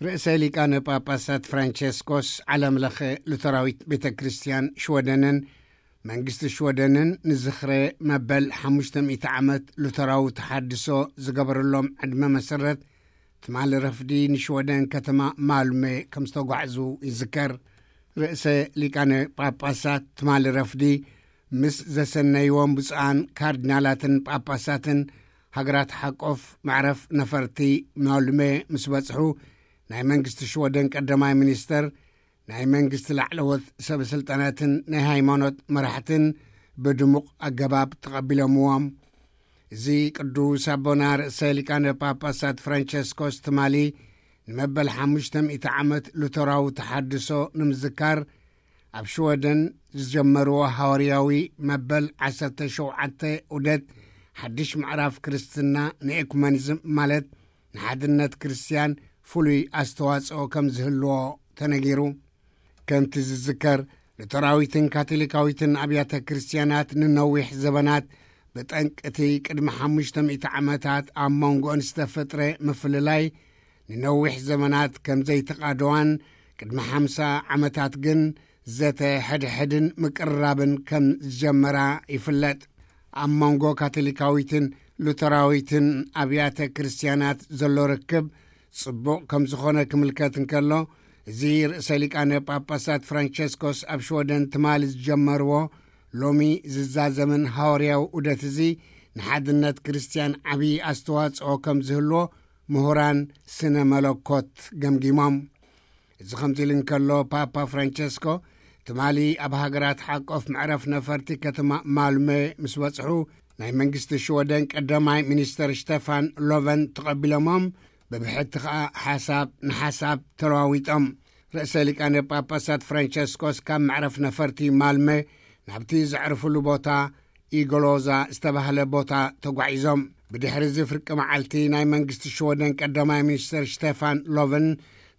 ርእሰ ሊቃነ ጳጳሳት ፍራንቸስኮስ ዓለም ለኸ ሉተራዊት ቤተ ክርስቲያን ሽወደንን መንግስቲ ሽወደንን ንዝኽረ መበል ሓሙሽተ ሚእቲ ዓመት ሉተራዊ ተሓድሶ ዝገበረሎም ዕድመ መሰረት ትማሊ ረፍዲ ንሽወደን ከተማ ማልሜ ከም ዝተጓዕዙ ይዝከር። ርእሰ ሊቃነ ጳጳሳት ትማሊ ረፍዲ ምስ ዘሰነይዎም ብፁዓን ካርዲናላትን ጳጳሳትን ሃገራት ሓቆፍ መዕረፍ ነፈርቲ ማልሜ ምስ በጽሑ፣ ናይ መንግስቲ ሽወደን ቀዳማይ ሚኒስተር፣ ናይ መንግስቲ ላዕለዎት ሰበ ስልጣናትን ናይ ሃይማኖት መራሕትን ብድሙቕ ኣገባብ ተቐቢሎምዎም። እዚ ቅዱስ ኣቦና ርእሰ ሊቃነ ጳጳሳት ፍራንቸስኮስ ትማሊ ንመበል ሓሙሽተ ሚእቲ ዓመት ሉተራዊ ተሓድሶ ንምዝካር ኣብ ሽወደን ዝጀመርዎ ሃዋርያዊ መበል ዓሰርተ ሸውዓተ ዑደት ሓድሽ ምዕራፍ ክርስትና ንኤኩመኒዝም ማለት ንሓድነት ክርስትያን ፍሉይ ኣስተዋጽኦ ከም ዝህልዎ ተነጊሩ። ከምቲ ዝዝከር፣ ሉተራዊትን ካቶሊካዊትን ኣብያተ ክርስትያናት ንነዊሕ ዘበናት ብጠንቅቲ ቅድሚ ሓሙሽተ ሚእቲ ዓመታት ኣብ መንጎን ዝተፈጥረ ምፍልላይ ንነዊሕ ዘመናት ከም ዘይተቓደዋን ቅድሚ ሓምሳ ዓመታት ግን ዘተ ሕድሕድን ምቅርራብን ከም ዝጀመራ ይፍለጥ። ኣብ መንጎ ካቶሊካዊትን ሉተራዊትን ኣብያተ ክርስትያናት ዘሎ ርክብ ጽቡቕ ከም ዝኾነ ክምልከት እንከሎ፣ እዚ ርእሰ ሊቃነ ጳጳሳት ፍራንቸስኮስ ኣብ ሽወደን ትማሊ ዝጀመርዎ ሎሚ ዝዛዘምን ሃዋርያዊ ዑደት እዚ ንሓድነት ክርስትያን ዓብዪ ኣስተዋጽኦ ከም ዝህልዎ ምሁራን ስነ መለኮት ገምጊሞም። እዚ ከምዚ ኢሉ እንከሎ፣ ፓፓ ፍራንቸስኮ ትማሊ ኣብ ሃገራት ሓቆፍ መዕረፍ ነፈርቲ ከተማ ማልመ ምስ በጽሑ፣ ናይ መንግስቲ ሽወደን ቀዳማይ ሚኒስተር ሽተፋን ሎቨን ተቐቢሎሞም፣ ብብሕቲ ከኣ ሓሳብ ንሓሳብ ተለዋዊጦም። ርእሰ ሊቃነ ጳጳሳት ፍራንቸስኮስ ካብ መዕረፍ ነፈርቲ ማልመ ናብቲ ዘዕርፍሉ ቦታ ኢጎሎዛ ዝተባህለ ቦታ ተጓዒዞም። ብድሕሪ እዚ ፍርቂ መዓልቲ ናይ መንግስቲ ሽወደን ቀዳማይ ሚኒስተር ሽተፋን ሎቨን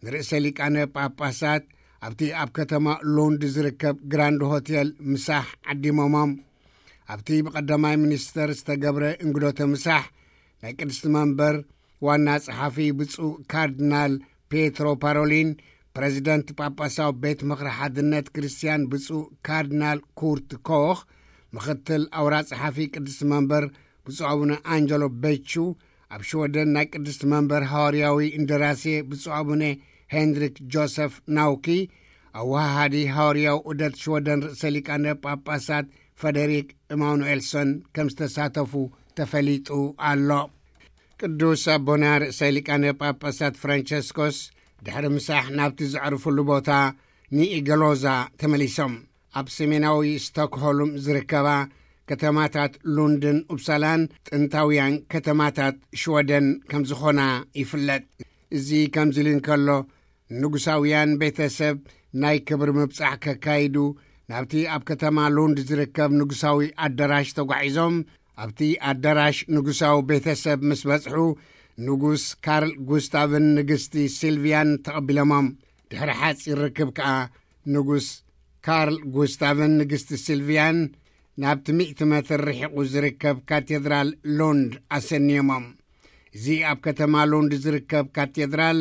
ንርእሰ ሊቃነ ጳጳሳት ኣብቲ ኣብ ከተማ ሉንድ ዝርከብ ግራንድ ሆቴል ምሳሕ ዓዲሞሞም። ኣብቲ ብቐዳማይ ሚኒስተር ዝተገብረ እንግዶተ ምሳሕ ናይ ቅድስቲ መንበር ዋና ጸሓፊ ብፁዕ ካርዲናል ፔትሮ ፓሮሊን፣ ፕረዚደንት ጳጳሳዊ ቤት ምኽሪ ሓድነት ክርስትያን ብፁዕ ካርዲናል ኩርት ኮኽ፣ ምኽትል ኣውራ ጸሓፊ ቅድስቲ መንበር ብፁዕ ኣቡነ ኣንጀሎ ቤቹ፣ ኣብ ሽወደን ናይ ቅድስቲ መንበር ሃዋርያዊ እንደራሴ ብፁዕ ኣቡነ ሄንድሪክ ጆሰፍ ናውኪ፣ ኣወሃሃዲ ሃዋርያዊ ዑደት ሽወደን ርእሰ ሊቃነ ጳጳሳት ፈደሪክ ኢማኑኤልሶን ከም ዝተሳተፉ ተፈሊጡ ኣሎ። ቅዱስ ኣቦና ርእሰ ሊቃነ ጳጳሳት ፍራንቸስኮስ ድሕሪ ምሳሕ ናብቲ ዘዕርፍሉ ቦታ ንኢገሎዛ ተመሊሶም። ኣብ ሰሜናዊ ስቶክሆልም ዝርከባ ከተማታት ሉንድን ኡፕሳላን ጥንታውያን ከተማታት ሽወደን ከም ዝኾና ይፍለጥ። እዚ ከምዚ ኢሉ እንከሎ፣ ንጉሳውያን ቤተሰብ ናይ ክብሪ ምብጻሕ ከካይዱ ናብቲ ኣብ ከተማ ሉንድ ዝርከብ ንጉሳዊ ኣዳራሽ ተጓዒዞም፣ ኣብቲ ኣዳራሽ ንጉሳዊ ቤተሰብ ምስ በጽሑ፣ ንጉስ ካርል ጉስታቭን ንግስቲ ሲልቪያን ተቐቢሎሞም። ድሕሪ ሓጺር ርክብ ከኣ ንጉስ ካርል ጉስታቭን ንግስቲ ሲልቪያን ናብቲ ሚእቲ ሜትር ርሒቑ ዝርከብ ካቴድራል ሉንድ ኣሰንዮሞም። እዚ ኣብ ከተማ ሉንድ ዝርከብ ካቴድራል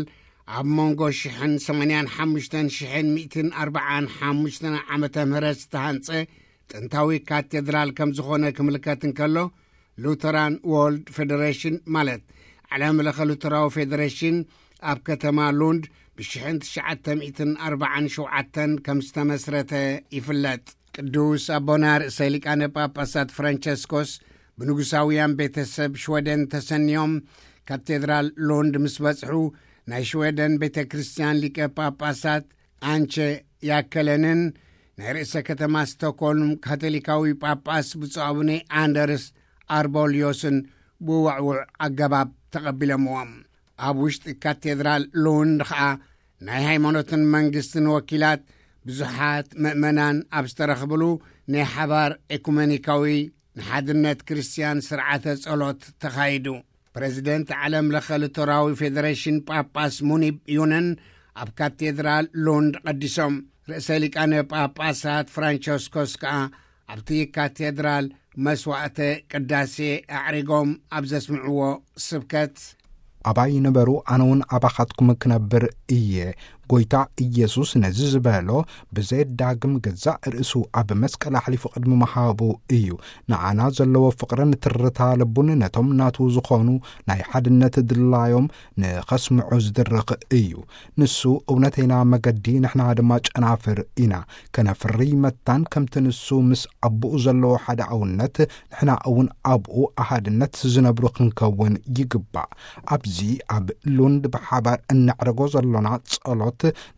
ኣብ መንጎ ሽሕን ሰማንያን ሓሙሽተን ሽሕን ሚእትን ኣርባዓን ሓሙሽተን ዓመተ ምህረት ዝተሃንጸ ጥንታዊ ካቴድራል ከም ዝኾነ ክምልከት እንከሎ፣ ሉተራን ዎርልድ ፌደሬሽን ማለት ዓለም ለኸ ሉተራዊ ፌደሬሽን ኣብ ከተማ ሉንድ ብሽሕን ትሽዓተ ሚእትን ኣርባዓን ሸውዓተን ከም ዝተመስረተ ይፍለጥ። ቅዱስ ኣቦና ርእሰ ሊቃነ ጳጳሳት ፍራንቸስኮስ ብንጉሳውያን ቤተሰብ ሽወደን ተሰንዮም ካቴድራል ሉንድ ምስ በጽሑ፣ ናይ ሽወደን ቤተ ክርስቲያን ሊቀ ጳጳሳት ኣንቸ ያከለንን ናይ ርእሰ ከተማ ስቶኮልም ካቶሊካዊ ጳጳስ ብፁዕ ኣቡነ ኣንደርስ ኣርቦልዮስን ብውዕውዕ ኣገባብ ተቐቢሎምዎም። ኣብ ውሽጢ ካቴድራል ሉንድ ኸኣ ናይ ሃይማኖትን መንግስትን ወኪላት ብዙሓት ምእመናን ኣብ ዝተረኽብሉ ናይ ሓባር ኤኩመኒካዊ ንሓድነት ክርስትያን ስርዓተ ጸሎት ተኻይዱ። ፕረዚደንት ዓለም ለኸ ሉተራዊ ፌደሬሽን ጳጳስ ሙኒብ ዩነን ኣብ ካቴድራል ሉንድ ቀዲሶም። ርእሰ ሊቃነ ጳጳሳት ፍራንቸስኮስ ከኣ ኣብቲ ካቴድራል መስዋዕተ ቅዳሴ ኣዕሪጎም ኣብ ዘስምዕዎ ስብከት፣ ኣባይ ንበሩ፣ ኣነ እውን ኣባኻትኩም ክነብር እየ። ጎይታ ኢየሱስ ነዚ ዝበሎ ብዘየዳግም ገዛእ ርእሱ ኣብ መስቀል ኣሕሊፉ ቅድሚ ምሃቡ እዩ። ንዓና ዘለዎ ፍቕርን ትርታ ልቡን ነቶም ናቱ ዝኾኑ ናይ ሓድነት ድላዮም ንኸስምዑ ዝድርኽ እዩ። ንሱ እውነተይና መገዲ፣ ንሕና ድማ ጨናፍር ኢና። ከነፍሪ መታን ከምቲ ንሱ ምስ ኣቦኡ ዘለዎ ሓደ ኣውነት ንሕና እውን ኣብኡ ኣሃድነት ዝነብሩ ክንከውን ይግባእ። ኣብዚ ኣብ ሉንድ ብሓባር እነዕርጎ ዘሎና ጸሎት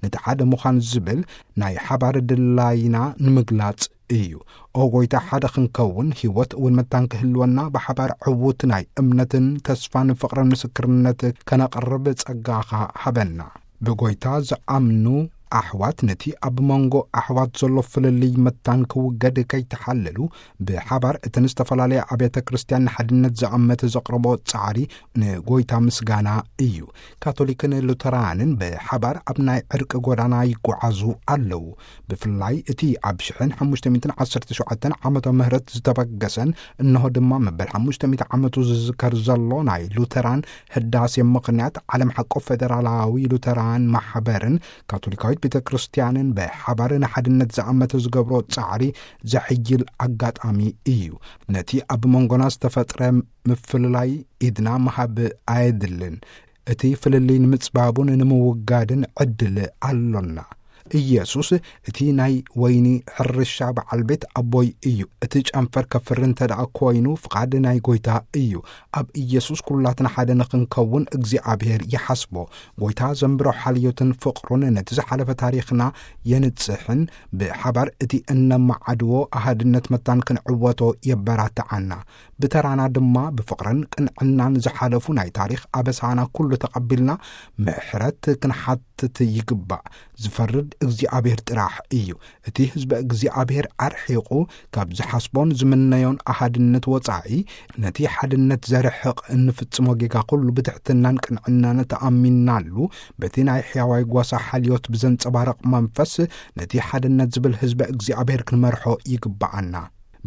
ነቲ ሓደ ምዃን ዝብል ናይ ሓባር ድላይና ንምግላጽ እዩ። ኦ ጎይታ፣ ሓደ ክንከውን፣ ህይወት እውን መታን ክህልወና፣ ብሓባር ዕዉት ናይ እምነትን ተስፋን ፍቕርን ምስክርነት ከነቕርብ ጸጋኻ ሃበና። ብጎይታ ዝኣምኑ ኣሕዋት ነቲ ኣብ መንጎ ኣሕዋት ዘሎ ፍልልይ መታን ክውገድ ከይተሓለሉ፣ ብሓባር እተን ዝተፈላለያ ኣብያተ ክርስቲያን ንሓድነት ዝኣመተ ዘቕረቦ ጻዕሪ ንጎይታ ምስጋና እዩ። ካቶሊክን ሉተራንን ብሓባር ኣብ ናይ ዕርቂ ጎዳና ይጓዓዙ ኣለዉ። ብፍላይ እቲ ኣብ ሽሕን ሓሙሽተ ሚእትን ዓሰርተ ሸውዓተን ዓመተ ምህረት ዝተበገሰን፣ እንሆ ድማ መበል ሓሙሽተ ሚእቲ ዓመቱ ዝዝከር ዘሎ ናይ ሉተራን ህዳሴ ምኽንያት፣ ዓለም ሓቆ ፌደራላዊ ሉተራን ማሕበርን ካቶሊካዊት ቤተ ክርስቲያንን ብሓባር ንሓድነት ዝኣመተ ዝገብሮ ጻዕሪ ዘሕይል ኣጋጣሚ እዩ። ነቲ ኣብ መንጎና ዝተፈጥረ ምፍልላይ ኢድና ምሃብ ኣየድልን። እቲ ፍልልይ ንምጽባቡን ንምውጋድን ዕድል ኣሎና። ኢየሱስ፣ "እቲ ናይ ወይኒ ሕርሻ በዓል ቤት ኣቦይ እዩ። እቲ ጨንፈር ከፍሪ እንተ ደኣ ኮይኑ፣ ፍቓድ ናይ ጎይታ እዩ።" ኣብ ኢየሱስ ኩላትና ሓደ ንኽንከውን እግዚኣብሔር ይሓስቦ። ጎይታ ዘንብሮ ሓልዮትን ፍቕሩን ነቲ ዝሓለፈ ታሪኽና የንጽሕን፣ ብሓባር እቲ እነመዓድዎ ኣሃድነት መታን ክንዕወቶ የበራትዓና። ብተራና ድማ ብፍቕርን ቅንዕናን ዝሓለፉ ናይ ታሪኽ ኣበሳና ኩሉ ተቐቢልና ምሕረት ክንሓትት ይግባእ። ዝፈርድ እግዚኣብሔር ጥራሕ እዩ። እቲ ህዝበ እግዚኣብሔር ኣርሒቑ ካብ ዝሓስቦን ዝምነዮን ኣሃድነት ወጻኢ፣ ነቲ ሓድነት ዘርሕቕ እንፍጽሞ ጌጋ ኩሉ ብትሕትናን ቅንዕናን ተኣሚንናሉ፣ በቲ ናይ ሕያዋይ ጓሳ ሓልዮት ብዘንጸባርቕ መንፈስ ነቲ ሓድነት ዝብል ህዝበ እግዚኣብሔር ክንመርሖ ይግብኣና።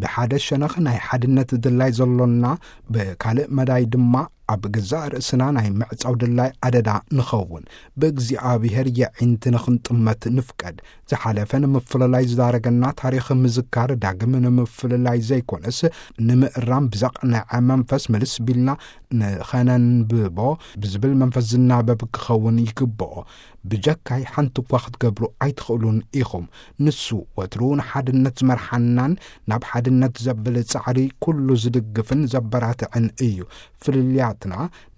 ብሓደ ሸነኽ ናይ ሓድነት ድላይ ዘሎና፣ ብካልእ መዳይ ድማ ኣብ ገዛእ ርእስና ናይ ምዕጻው ድላይ ኣደዳ ንኸውን። ብእግዚኣብሔር የዒንቲ ንኽንጥመት ንፍቀድ። ዝሓለፈ ንምፍልላይ ዝዳረገና ታሪኽ ምዝካር ዳግም ንምፍልላይ ዘይኮነስ፣ ንምእራም ብዘቕነዐ መንፈስ ምልስ ቢልና ንኸነንብቦ ብዝብል መንፈስ ዝናበብ ክኸውን ይግብኦ። ብጀካይ ሓንቲ እኳ ክትገብሩ ኣይትኽእሉን ኢኹም። ንሱ ወትሩ ንሓድነት ዝመርሓናን ናብ ሓድነት ዘብል ጻዕሪ ኩሉ ዝድግፍን ዘበራትዕን እዩ። ፍልልያትና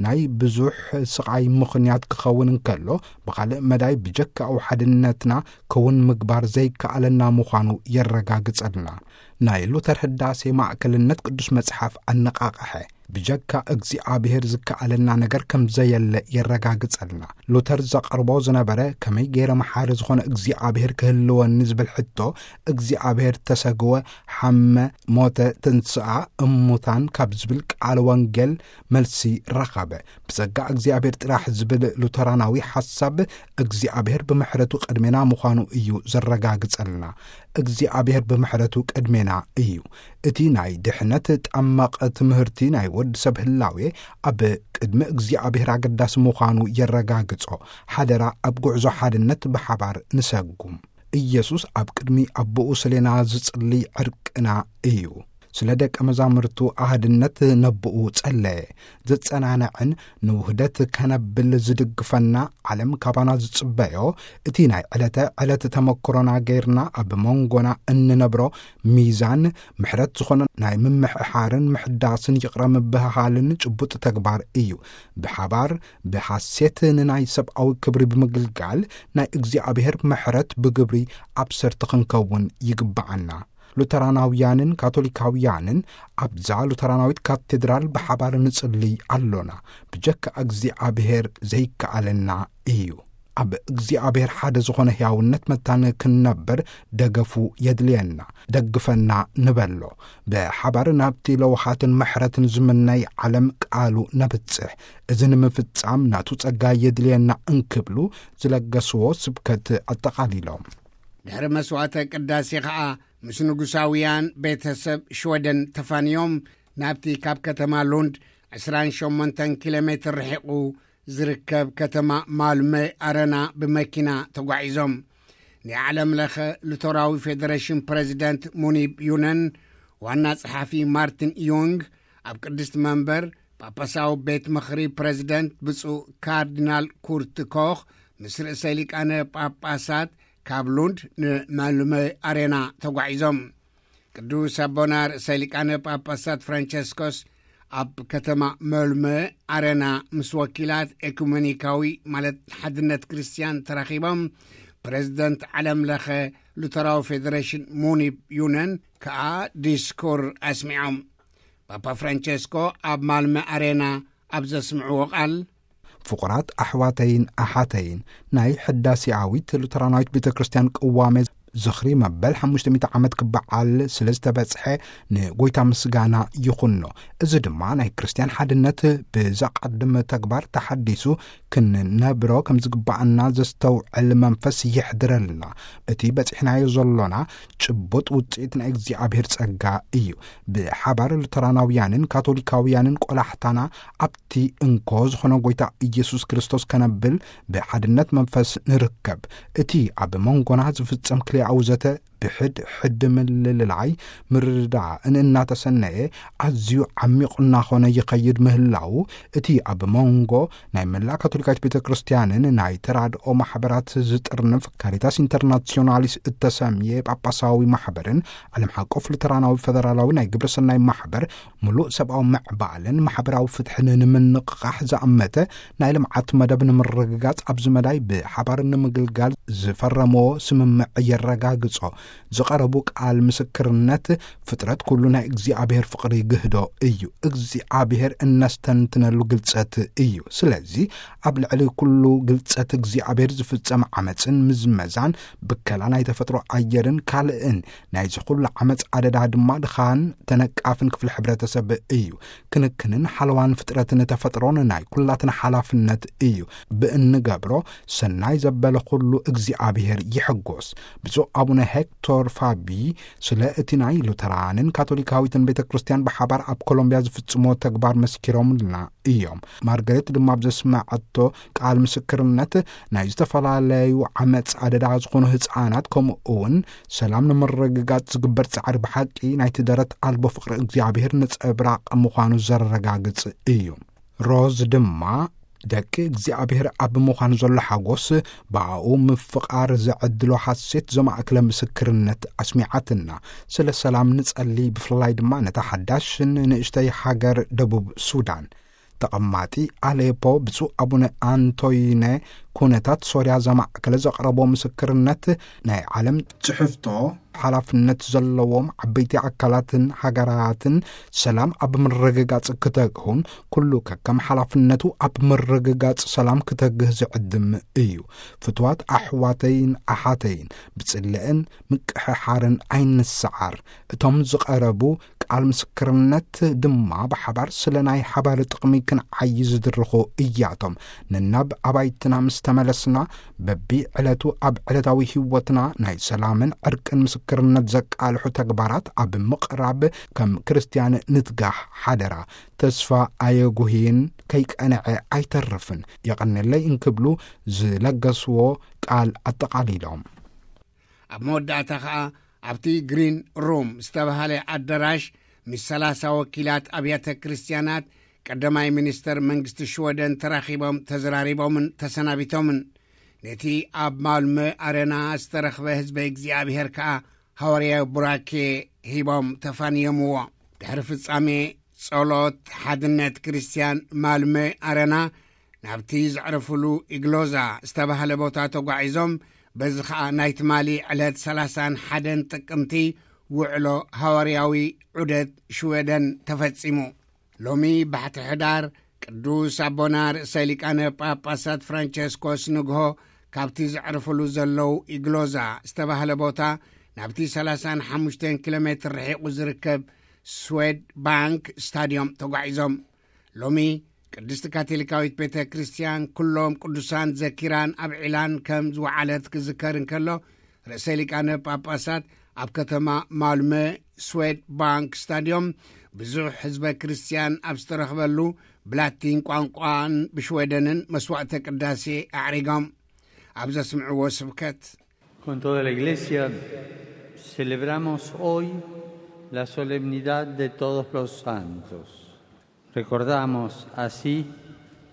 ናይ ብዙሕ ስቓይ ምኽንያት ክኸውን እንከሎ፣ ብኻልእ መዳይ ብጀካኡ ሓድነትና ክውን ምግባር ዘይከኣለና ምዃኑ የረጋግጸልና። ናይ ሉተር ህዳሴ ማእከልነት ቅዱስ መጽሓፍ ኣነቓቕሐ። ብጀካ እግዚኣብሔር ዝከኣለና ነገር ከም ዘየለ የረጋግጸልና። ሉተር ዘቕርቦ ዝነበረ፣ ከመይ ገይረ መሓሪ ዝኾነ እግዚኣብሔር ክህልወኒ ዝብል ሕቶ፣ እግዚኣብሔር ተሰግወ፣ ሓመ፣ ሞተ፣ ተንስኣ እሙታን ካብ ዝብል ቃል ወንጌል መልሲ ረኸበ። ብጸጋ እግዚኣብሔር ጥራሕ ዝብል ሉተራናዊ ሓሳብ፣ እግዚኣብሔር ብምሕረቱ ቅድሜና ምዃኑ እዩ ዘረጋግጸልና። እግዚኣብሔር ብምሕረቱ ቅድሜና እዩ። እቲ ናይ ድሕነት ጠመቕ ትምህርቲ ናይ ወዲ ሰብ ህላዌ ኣብ ቅድሚ እግዚኣብሔር ኣገዳሲ ምዃኑ የረጋግጾ። ሓደራ ኣብ ጉዕዞ ሓድነት ብሓባር ንሰጉም። ኢየሱስ ኣብ ቅድሚ ኣቦኡ ስሌና ዝጽልይ ዕርቅና እዩ። ስለ ደቀ መዛሙርቱ ኣሃድነት ነብኡ ጸለየ። ዘጸናንዕን ንውህደት ከነብል ዝድግፈና ዓለም ካባና ዝጽበዮ፣ እቲ ናይ ዕለተ ዕለት ተመክሮና ገይርና ኣብ መንጎና እንነብሮ ሚዛን ምሕረት ዝኾነ ናይ ምምሕሓርን ምሕዳስን ይቕረ ምብህሃልን ጭቡጥ ተግባር እዩ። ብሓባር ብሓሴት ንናይ ሰብኣዊ ክብሪ ብምግልጋል ናይ እግዚኣብሔር ምሕረት ብግብሪ ኣብሰርቲ ክንከውን ይግብኣና። ሉተራናውያንን ካቶሊካውያንን ኣብዛ ሉተራናዊት ካቴድራል ብሓባር ንጽልይ ኣሎና። ብጀካ እግዚኣብሔር ዘይከኣለና እዩ። ኣብ እግዚኣብሔር ሓደ ዝኾነ ሕያውነት መታን ክንነብር ደገፉ የድልየና። ደግፈና ንበሎ። ብሓባር ናብቲ ለውሃትን ምሕረትን ዝምነይ ዓለም ቃሉ ነብጽሕ። እዚ ንምፍጻም ናቱ ጸጋ የድልየና እንክብሉ ዝለገስዎ ስብከት ኣጠቓሊሎም። ድሕሪ መስዋዕተ ቅዳሴ ኸኣ ምስ ንጉሳውያን ቤተሰብ ሽወደን ተፋንዮም ናብቲ ካብ ከተማ ሉንድ ዕስራን ሸሞንተን ኪሎ ሜትር ርሒቑ ዝርከብ ከተማ ማልመ ኣረና ብመኪና ተጓዒዞም። ናይ ዓለም ለኸ ሉተራዊ ፌደሬሽን ፕሬዚደንት ሙኒብ ዩነን፣ ዋና ጸሓፊ ማርቲን ዩንግ፣ ኣብ ቅድስቲ መንበር ጳጳሳዊ ቤት ምኽሪ ፕሬዚደንት ብፁዕ ካርዲናል ኩርት ኮኽ ምስ ርእሰ ሊቃነ ጳጳሳት ካብ ሉንድ ንማልመ ኣሬና ተጓዒዞም። ቅዱስ ኣቦና ርእሰ ሊቃነ ጳጳሳት ፍራንቸስኮስ ኣብ ከተማ መልመ ኣረና ምስ ወኪላት ኤኩመኒካዊ፣ ማለት ሓድነት ክርስትያን፣ ተራኺቦም። ፕሬዚደንት ዓለም ለኸ ሉተራዊ ፌደሬሽን ሙኒብ ዩነን ከኣ ዲስኩር ኣስሚዖም። ፓፓ ፍራንቸስኮ ኣብ ማልመ ኣሬና ኣብ ዘስምዕዎ ቃል፣ ፍቑራት ኣሕዋተይን ኣሓተይን፣ ናይ ሕዳሴኣዊት ሉተራናዊት ቤተ ክርስቲያን ቅዋሜ ዝኽሪ መበል ሓሙሽተ ሚእቲ ዓመት ክበዓል ስለ ዝተበጽሐ ንጎይታ ምስጋና ይኹኖ። እዚ ድማ ናይ ክርስትያን ሓድነት ብዘቐድም ተግባር ተሓዲሱ ክንነብሮ ከም ዝግባኣና ዘስተውዕል መንፈስ ይሕድረልና። እቲ በጺሕናዮ ዘሎና ጭቡጥ ውጽኢት ናይ እግዚኣብሔር ጸጋ እዩ። ብሓባር ሉተራናውያንን ካቶሊካውያንን ቆላሕታና ኣብቲ እንኮ ዝኾነ ጎይታ ኢየሱስ ክርስቶስ ከነብል ብሓድነት መንፈስ ንርከብ። እቲ ኣብ መንጎና ዝፍጸም ክልኣዊ ዘተ ብሕድ ሕድ ምልልላይ ምርድዳእን እናተሰነየ ኣዝዩ ዓሚቕ እናኾነ ይኸይድ ምህላው፣ እቲ ኣብ መንጎ ናይ መላእ ካቶሊካዊት ቤተ ክርስቲያንን ናይ ተራድኦ ማሕበራት ዝጥርንፍ ካሪታስ ኢንተርናሲዮናሊስ እተሰምየ ጳጳሳዊ ማሕበርን ዓለም ሓቆፍ ሉተራናዊ ፈደራላዊ ናይ ግብረ ሰናይ ማሕበር ምሉእ ሰብኣዊ ምዕባልን ማሕበራዊ ፍትሕን ንምንቕቓሕ ዝኣመተ ናይ ልምዓት መደብ ንምርግጋጽ ኣብዚ መዳይ ብሓባር ንምግልጋል ዝፈረምዎ ስምምዕ የረጋግጾ። ዝቐረቡ ቃል ምስክርነት ፍጥረት ኩሉ ናይ እግዚኣብሔር ፍቕሪ ይግህዶ እዩ። እግዚኣብሔር እነስተንትነሉ ግልጸት እዩ። ስለዚ ኣብ ልዕሊ ኩሉ ግልጸት እግዚኣብሔር ዝፍጸም ዓመጽን ምዝመዛን፣ ብከላ ናይ ተፈጥሮ ኣየርን ካልእን ናይዚ ኩሉ ዓመጽ ኣደዳ ድማ ድኻን ተነቃፍን ክፍሊ ሕብረተሰብ እዩ። ክንክንን ሓለዋን ፍጥረትን ተፈጥሮን ናይ ኩላትና ሓላፍነት እዩ። ብእንገብሮ ሰናይ ዘበለ ኩሉ እግዚኣብሔር ይሕጎስ። ብፁዕ ኣቡነ ሄክቶር ፋቢ ስለ እቲ ናይ ሉተራንን ካቶሊካዊትን ቤተ ክርስቲያን ብሓባር ኣብ ኮሎምቢያ ዝፍጽሞ ተግባር መስኪሮምልና እዮም። ማርገሬት ድማ ኣብ ዘስመዐቶ ቃል ምስክርነት፣ ናይ ዝተፈላለዩ ዓመጽ ኣደዳ ዝኾኑ ህጻናት፣ ከምኡ እውን ሰላም ንምርግጋጽ ዝግበር ጻዕሪ ብሓቂ ናይቲ ደረት ኣልቦ ፍቕሪ እግዚኣብሔር ነጸብራቕ ምዃኑ ዘረጋግጽ እዩ። ሮዝ ድማ፣ ደቂ እግዚኣብሔር ኣብ ምዃን ዘሎ ሓጎስ፣ ብኣኡ ምፍቓር ዘዕድሎ ሓሴት ዘማእክለ ምስክርነት ኣስሚዓትና። ስለ ሰላም ንጸሊ፣ ብፍላይ ድማ ነታ ሓዳሽን ንእሽተይ ሃገር ደቡብ ሱዳን። ተቐማጢ ኣሌፖ ብፁዕ ኣቡነ ኣንቶይነ፣ ኩነታት ሶርያ ዘማእከለ ዘቕረቦ ምስክርነት፣ ናይ ዓለም ጽሕፍቶ ሓላፍነት ዘለዎም ዓበይቲ ኣካላትን ሃገራትን ሰላም ኣብ ምርግጋጽ ክተግሁን፣ ኩሉ ከከም ሓላፍነቱ ኣብ ምርግጋጽ ሰላም ክተግህ ዝዕድም እዩ። ፍትዋት ኣሕዋተይን ኣሓተይን፣ ብጽልእን ምቅሕሓርን ኣይንሰዓር። እቶም ዝቐረቡ ቃል ምስክርነት ድማ ብሓባር ስለ ናይ ሓባር ጥቕሚ ክንዓዪ ዝድርኹ እያቶም። ነናብ ኣባይትና ምስ ተመለስና፣ በቢ ዕለቱ ኣብ ዕለታዊ ህይወትና ናይ ሰላምን ዕርቅን ምስክርነት ዘቃልሑ ተግባራት ኣብ ምቕራብ ከም ክርስትያን ንትጋህ ሓደራ። ተስፋ ኣየጉህይን ከይቀንዐ ኣይተርፍን። የቐንየለይ እንክብሉ ዝለገስዎ ቃል ኣጠቓሊሎም። ኣብ መወዳእታ ኸኣ ኣብቲ ግሪን ሩም ዝተባህለ ኣዳራሽ ምስ ሰላሳ ወኪላት ኣብያተ ክርስትያናት ቀዳማይ ሚኒስተር መንግስቲ ሽወደን ተራኺቦም ተዘራሪቦምን ተሰናቢቶምን። ነቲ ኣብ ማልመ ኣረና ዝተረኽበ ህዝበ እግዚኣብሔር ከኣ ሃዋርያዊ ቡራኬ ሂቦም ተፋንዮምዎ። ድሕሪ ፍጻሜ ጸሎት ሓድነት ክርስትያን ማልመ ኣረና ናብቲ ዘዕረፍሉ ኢግሎዛ ዝተባህለ ቦታ ተጓዒዞም፣ በዚ ኸኣ ናይ ትማሊ ዕለት ሰላሳን ሓደን ጥቅምቲ ውዕሎ ሃዋርያዊ ዑደት ሽወደን ተፈጺሙ። ሎሚ ባሕቲ ሕዳር ቅዱስ ኣቦና ርእሰ ሊቃነ ጳጳሳት ፍራንቸስኮስ ንግሆ ካብቲ ዘዕርፍሉ ዘለዉ ኢግሎዛ ዝተባህለ ቦታ ናብቲ ሰላሳን ሓሙሽተን ኪሎ ሜትር ርሒቑ ዝርከብ ስዌድ ባንክ ስታድዮም ተጓዒዞም። ሎሚ ቅድስቲ ካቶሊካዊት ቤተ ክርስቲያን ኩሎም ቅዱሳን ዘኪራን ኣብዒላን ከም ዝወዓለት ክዝከር እንከሎ፣ ርእሰ ሊቃነ ጳጳሳት ኣብ ከተማ ማልመ ስዌድ ባንክ ስታድዮም ብዙሕ ህዝበ ክርስቲያን ኣብ ዝተረኽበሉ ብላቲን ቋንቋን ብሽወደንን መስዋዕተ ቅዳሴ ኣዕሪጎም ኣብ ዘስምዕዎ ስብከት፣ Con toda la Iglesia celebramos hoy la solemnidad de todos los santos. Recordamos así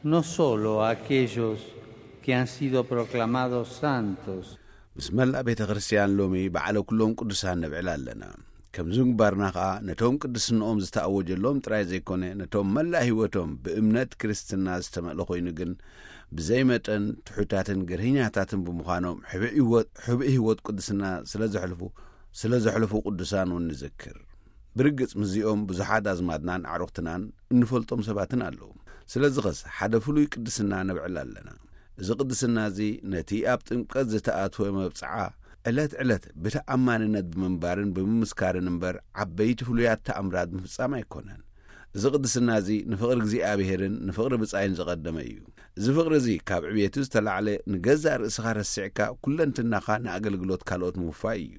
no solo a aquellos que han sido proclamados santos, ምስ መላእ ቤተ ክርስትያን ሎሚ በዓለ ኩሎም ቅዱሳን ነብዕል ኣለና። ከምዚ ምግባርና ኸኣ ነቶም ቅድስንኦም ዝተኣወጀሎም ጥራይ ዘይኮነ፣ ነቶም መላእ ህይወቶም ብእምነት ክርስትና ዝተመልአ ኮይኑ ግን ብዘይ መጠን ትሑታትን ገርህኛታትን ብምዃኖም፣ ሕብእ ህይወት ቅድስና ስለ ዘሕልፉ ስለ ዘሕልፉ ቅዱሳን እውን ንዘክር። ብርግጽ ምስዚኦም ብዙሓት ኣዝማድናን ኣዕሩኽትናን እንፈልጦም ሰባትን ኣለዉ። ስለዚ ኸስ ሓደ ፍሉይ ቅድስና ነብዕል ኣለና። እዚ ቅድስና እዚ ነቲ ኣብ ጥምቀት ዝተኣትወ መብጽዓ ዕለት ዕለት ብተኣማንነት ብምንባርን ብምምስካርን እምበር ዓበይቲ ፍሉያት ተኣምራት ምፍጻም ኣይኮነን። እዚ ቅድስና እዚ ንፍቕሪ እግዚኣብሔርን ንፍቕሪ ብጻይን ዝቐደመ እዩ። እዚ ፍቕሪ እዚ ካብ ዕብየቱ ዝተላዕለ ንገዛእ ርእስኻ ረሲዕካ ኩለንትናኻ ንኣገልግሎት ካልኦት ምውፋይ እዩ።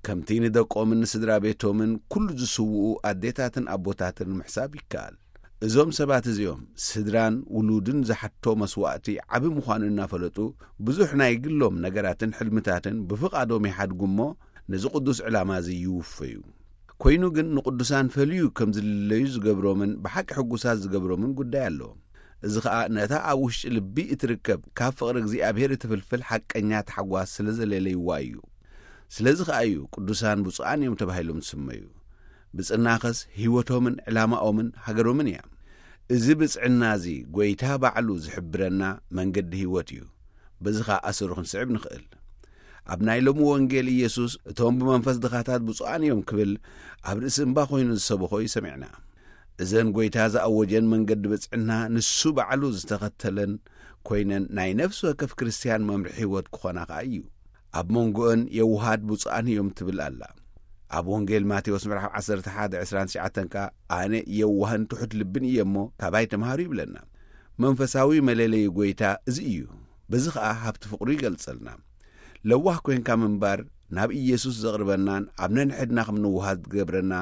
ከምቲ ንደቆምን ንስድራ ቤቶምን ኩሉ ዝስውኡ ኣዴታትን ኣቦታትን ምሕሳብ ይከኣል። እዞም ሰባት እዚኦም ስድራን ውሉድን ዝሓቶ መስዋእቲ ዓቢ ምዃኑ እናፈለጡ ብዙሕ ናይ ግሎም ነገራትን ሕልምታትን ብፍቓዶም ይሓድጉ እሞ ነዚ ቅዱስ ዕላማ እዚ ይውፈዩ። ኮይኑ ግን ንቅዱሳን ፈልዩ ከም ዝልለዩ ዝገብሮምን ብሓቂ ሕጉሳት ዝገብሮምን ጉዳይ ኣሎ። እዚ ኸኣ ነታ ኣብ ውሽጢ ልቢ እትርከብ ካብ ፍቕሪ እግዚኣብሔር እትፍልፍል ሓቀኛ ታሕጓስ ስለ ዘለለይዋ እዩ። ስለዚ ኸኣ እዩ ቅዱሳን ብፁዓን እዮም ተባሂሎም ዝስመዩ። ብጽናኸስ ህይወቶምን ዕላማኦምን ሃገሮምን እያ። እዚ ብጽዕና እዚ ጐይታ ባዕሉ ዝሕብረና መንገዲ ህይወት እዩ። በዚ ኸኣ ኣሰሩ ክንስዕብ ንኽእል። ኣብ ናይ ሎሚ ወንጌል ኢየሱስ እቶም ብመንፈስ ድኻታት ብፁዓን እዮም ክብል ኣብ ርእሲ እምባ ኮይኑ ዝሰበኾ እዩ ሰሚዕና። እዘን ጐይታ ዝኣወጀን መንገዲ ብጽዕና ንሱ ባዕሉ ዝተኸተለን ኮይነን ናይ ነፍሲ ወከፍ ክርስትያን መምርሒ ህይወት ክኾና ኸኣ እዩ። ኣብ መንጎኦን የውሃት ብፁዓን እዮም ትብል ኣላ። ኣብ ወንጌል ማቴዎስ ምዕራፍ ዓሰርተ ሓደ ዕስራን ትሽዓተን ከኣ ኣነ የዋህን ትሑት ልብን እየ እሞ ካባይ ተምሃሩ ይብለና። መንፈሳዊ መለለዪ ጐይታ እዚ እዩ። በዚ ኸኣ ሃብቲ ፍቕሩ ይገልጸልና። ለዋህ ኮይንካ ምንባር ናብ ኢየሱስ ዘቕርበናን ኣብ ነንሕድና ከም ንውሃት ዝገብረና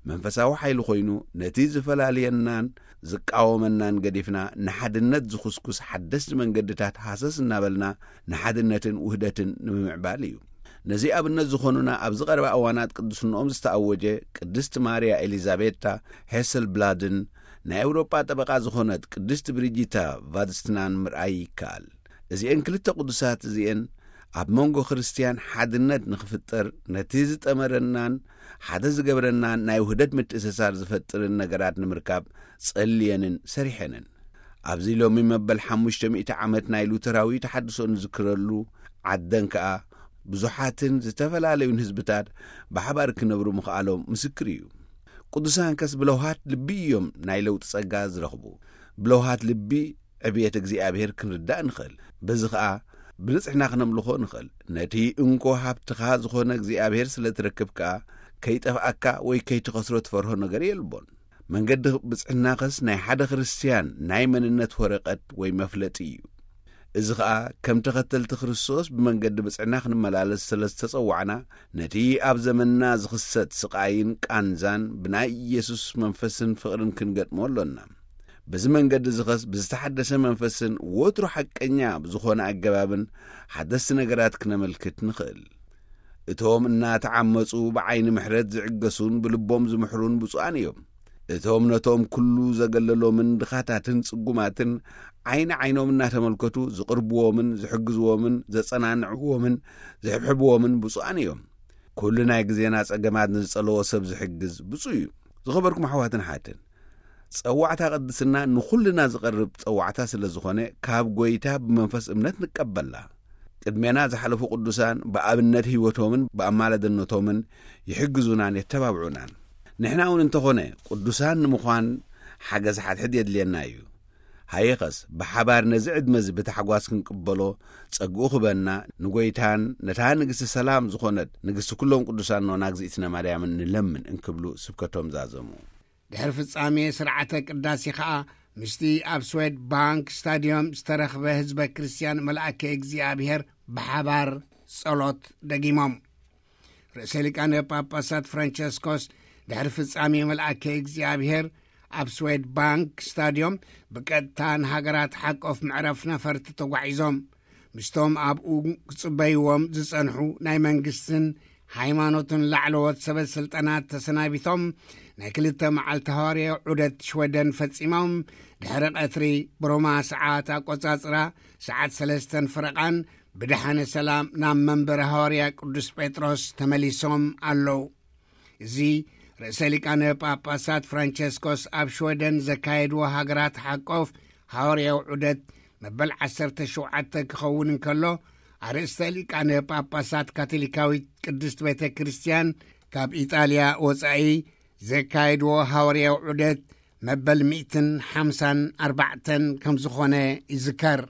መንፈሳዊ ሓይሊ ኮይኑ ነቲ ዝፈላልየናን ዝቃወመናን ገዲፍና ንሓድነት ዝኹስኩስ ሓደስቲ መንገድታት ሃሰስ እናበልና ንሓድነትን ውህደትን ንምምዕባል እዩ። ነዚ ኣብነት ዝኾኑና ኣብዚ ቀረባ እዋናት ቅድስንኦም ዝተኣወጀ ቅድስቲ ማርያ ኤሊዛቤታ ሄሰልብላድን ናይ ኤውሮጳ ጠበቓ ዝኾነት ቅድስቲ ብሪጂታ ቫድስትናን ምርኣይ ይከኣል። እዚኤን ክልተ ቅዱሳት እዚኤን ኣብ መንጎ ክርስትያን ሓድነት ንኽፍጠር ነቲ ዝጠመረናን ሓደ ዝገብረናን ናይ ውህደት ምትእስሳር ዝፈጥርን ነገራት ንምርካብ ጸልየንን ሰሪሐንን። ኣብዚ ሎሚ መበል ሓሙሽተ ሚእቲ ዓመት ናይ ሉተራዊ ተሓድሶ ንዝክረሉ ዓደን ከኣ ብዙሓትን ዝተፈላለዩን ህዝብታት ብሓባር ክነብሩ ምኽኣሎም ምስክር እዩ። ቅዱሳንከስ ብለውሃት ልቢ እዮም ናይ ለውጢ ጸጋ ዝረኽቡ። ብለውሃት ልቢ ዕብየት እግዚኣብሔር ክንርዳእ ንኽእል። በዚ ኸኣ ብንጽሕና ክነምልኾ ንኽእል። ነቲ እንኮ ሃብትኻ ዝኾነ እግዚኣብሔር ስለ ትረክብ ከኣ ከይጠፍኣካ ወይ ከይትኸስሮ ትፈርሆ ነገር የልቦን። መንገዲ ብጽዕናኸስ ናይ ሓደ ክርስትያን ናይ መንነት ወረቐት ወይ መፍለጢ እዩ። እዚ ኸኣ ከም ተኸተልቲ ክርስቶስ ብመንገዲ ብጽዕና ክንመላለስ ስለ ዝተጸዋዕና ነቲ ኣብ ዘመንና ዝኽሰት ስቓይን ቃንዛን ብናይ ኢየሱስ መንፈስን ፍቕርን ክንገጥሞ ኣሎና። በዚ መንገዲ ዝኸስ ብዝተሓደሰ መንፈስን ወትሩ ሓቀኛ ብዝኾነ ኣገባብን ሓደስቲ ነገራት ክነመልክት ንኽእል። እቶም እናተዓመጹ ብዓይኒ ምሕረት ዝዕገሱን ብልቦም ዝምሕሩን ብፁዓን እዮም። እቶም ነቶም ኩሉ ዘገለሎምን ድኻታትን ጽጉማትን ዓይኒ ዓይኖም እናተመልከቱ ዝቕርብዎምን ዝሕግዝዎምን ዘጸናንዕዎምን ዝሕብሕብዎምን ብፁዓን እዮም። ኩሉ ናይ ግዜና ጸገማት ንዝጸለዎ ሰብ ዝሕግዝ ብፁዕ እዩ። ዝኸበርኩም ኣሕዋትን ሓትን፣ ጸዋዕታ ቅድስና ንኹልና ዝቐርብ ጸዋዕታ ስለ ዝኾነ ካብ ጐይታ ብመንፈስ እምነት ንቀበላ። ቅድሜና ዝሓለፉ ቅዱሳን ብኣብነት ህይወቶምን ብኣማላድነቶምን ይሕግዙናን የተባብዑናን። ንሕና እውን እንተኾነ ቅዱሳን ንምዃን ሓገዝ ሓድሕድ የድልየና እዩ። ሃየኸስ ብሓባር ነዚ ዕድመ እዚ ብታሕጓስ ክንቅበሎ ጸግኡ ክበና ንጐይታን ነታ ንግስቲ ሰላም ዝኾነት ንግስቲ ኩሎም ቅዱሳን ኖና እግዚኣብእትነ ማርያምን ንለምን እንክብሉ ስብከቶም ዛዘሙ። ድሕሪ ፍጻሜ ስርዓተ ቅዳሴ ኸኣ ምስቲ ኣብ ስዌድ ባንክ ስታድዮም ዝተረኽበ ህዝበ ክርስትያን መልኣከ እግዚኣብሔር ብሓባር ጸሎት ደጊሞም። ርእሰ ሊቃነ ጳጳሳት ፍራንቸስኮስ ድሕሪ ፍጻሜ መልኣከ እግዚኣብሔር ኣብ ስዌድ ባንክ ስታድዮም ብቀጥታ ንሃገራት ሓቆፍ መዕረፍ ነፈርቲ ተጓዒዞም። ምስቶም ኣብኡ ክጽበይዎም ዝጸንሑ ናይ መንግስትን ሃይማኖትን ላዕለዎት ሰበ ስልጣናት ተሰናቢቶም፣ ናይ ክልተ መዓልቲ ሃዋርያዊ ዑደት ሽወደን ፈጺሞም፣ ድሕሪ ቀትሪ ብሮማ ሰዓት ኣቆጻጽራ ሰዓት ሰለስተን ፍረቓን ብደሓነ ሰላም ናብ መንበረ ሃዋርያ ቅዱስ ጴጥሮስ ተመሊሶም ኣለዉ። እዚ ርእሰ ሊቃነ ጳጳሳት ፍራንቸስኮስ ኣብ ሽወደን ዘካየድዎ ሃገራት ሓቆፍ ሃዋርያዊ ዑደት መበል ዓሰርተ ሸውዓተ ክኸውን እንከሎ፣ ኣርእስተ ሊቃነ ጳጳሳት ካቶሊካዊት ቅድስት ቤተ ክርስቲያን ካብ ኢጣልያ ወጻኢ ዘካየድዎ ሃዋርያዊ ዑደት መበል ሚእትን ሓምሳን ኣርባዕተን ከም ዝኾነ ይዝከር።